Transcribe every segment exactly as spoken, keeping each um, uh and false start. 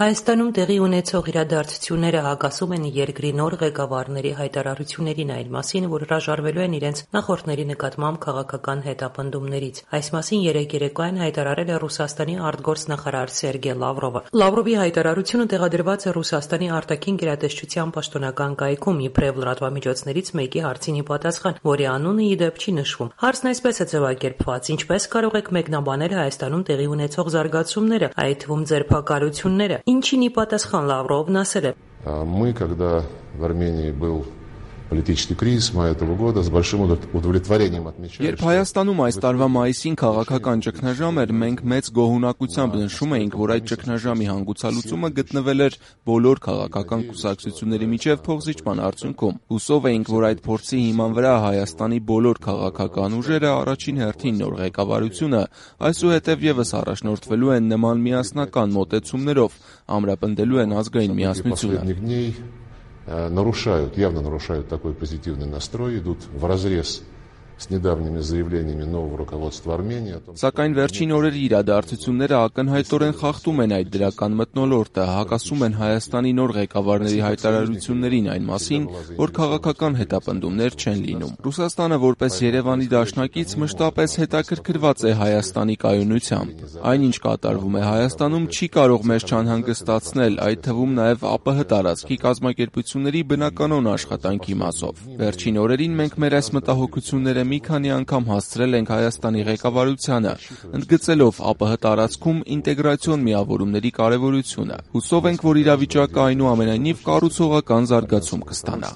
Հայաստանում տեղի ունեցող իրադարձությունները հակասում են երկրի նոր ղեկավարների հայտարարություններին այն մասին, որ հրաժարվելու են իրենց նախորդների նկատմամբ քաղաքական հետապնդումներից։ Այս մասին երեկ երեկոյան հայտարարել է Ռուսաստանի արտգործնախարար Սերգեյ Լավրովը։ Լավրովի հայտարարությունը տեղադրված է Ռուսաստանի արտաքին գերատեսչության պաշտոնական կայքում իբրև լրատվամիջոցներից մեկի հարցին ի պատասխան, որի անունը ի դեպ չի նշվում։ Հարցն այսպես է ձևակերպված. ինչպես կարող եք մեկնաբանել Հայաստանում տեղի ունեցող զարգացումները, այդ թվում ձերբակալությունները։ Ինչին ի պատասխան Լավրովն ասել է. Мы, когда в Армении был политический кризис мая этого года, с большим удовлетворением отмечали. Երբ Հայաստանում այս տարվա մայիսին քաղաքական ճգնաժամ էր, մենք մեծ գոհունակությամբ նշում էինք, որ այդ ճգնաժամի հանգուցալուծումը գտնվել էր բոլոր քաղաքական կուսակցությունների միջև փոխզիջման արդյունքում։ Հուսով էինք, որ այդ փորձի հիման վրա Հայաստանի բոլոր քաղաքական ուժերը, առաջին հերթին նոր ղեկավարությունը, այսուհետև եւս առաջնորդվելու են նման միասնական մոտեցումներով, ամրապնդելու են ազգային միասնությունը. нарушают, явно нарушают такой позитивный настрой, идут вразрез с недавними заявлениями нового руководства Армении. Սակայն վերջին օրերի իրադարձությունները ակնհայտորեն խախտում են այդ դրական մթնոլորտը, հակասում են Հայաստանի նոր ղեկավարների հայտարարություններին այն մասին, որ քաղաքական հետապնդումներ չեն լինում։ Ռուսաստանը որպես Երևանի դաշնակից մշտապես հետաքրքրված է Հայաստանի կայունությամբ։ Այնինչ կատարվում է Հայաստանում չի կարող մեզ չանհանգստացնել, այդ թվում նաև ԱՊՀ տարածքի կազմակերպությունների բնականոն աշխատանքի մասով։ Վերջին օրերին մենք մեր այս մտահոգությունները մի քանի անգամ հասցրել ենք Հայաստանի ղեկավարությանը, ընդգծելով ԱՊՀ տարածքում ինտեգրացիոն միավորումների կարևորությունը։ Հուսով ենք, որ իրավիճակը այնուամենայնիվ կառուցողական զարգացում կստանա։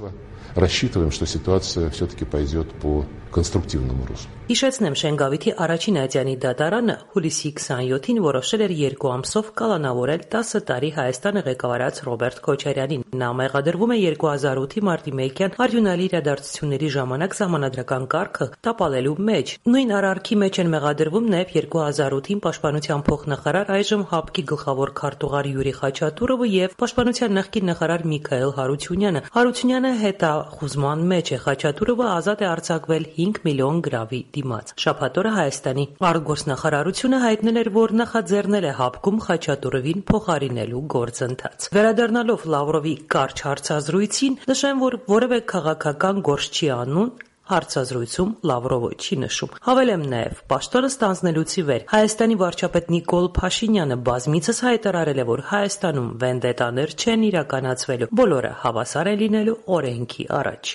Рассчитываем, что ситуация все-таки пойдет по конструктивному руслу. Հիշեցնեմ, Շենգավիթի առաջին ատյանի դատարանը հուլիսի քսաներկուին որոշել էր երկու ամսով կալանավորել տասը տարի Հայաստանը ղեկավարած Ռոբերտ Քոչարյանին։ Նա մեղադրվում է երկու հազար ութի մարտի մեկյան արյունալի իրադարձությունների ժամանակ սահմանադրական կարգը տապալելու մեջ։ Նույն արարքի մեջ են մեղադրվում նաև երկու հազար ութին պաշտպանության փոխնախարար, այժմ ՀԱՊԿ-ի գլխավոր քարտուղար Յուրի Խաչատուրովը եւ պաշտպանության նախկին նախարար Միքայել Հարությունյանը։ Հարությունյանը հետախուզման մեջ է, Խաչատուրովը ազատ է արձակվել հինգ միլիոն գրավի դիմաց։ Շաբաթ օրը Հայաստանի արտգործնախարարությունը հայտնել էր, որ նախաձեռնել է ՀԱՊԿ-ում Խաչատուրովին փոխարինելու գործընթաց։ Վերադառնալով Լավրովի կարճ հարցազրույցին, նշեմ, որ որևէ քաղաքական գործ չի անում, հարցազրույցում Լավրովը չի նշում։ Հավելեմ նաև, պաշտոնը ստանձնելուց ի վեր Հայաստանի վարչապետ Նիկոլ Փաշինյանը բազմիցս հայտարարել է, որ Հայաստանում վենդետաներ չեն իրականացվելու, բոլորը հավասար են լինելու օրենքի առաջ։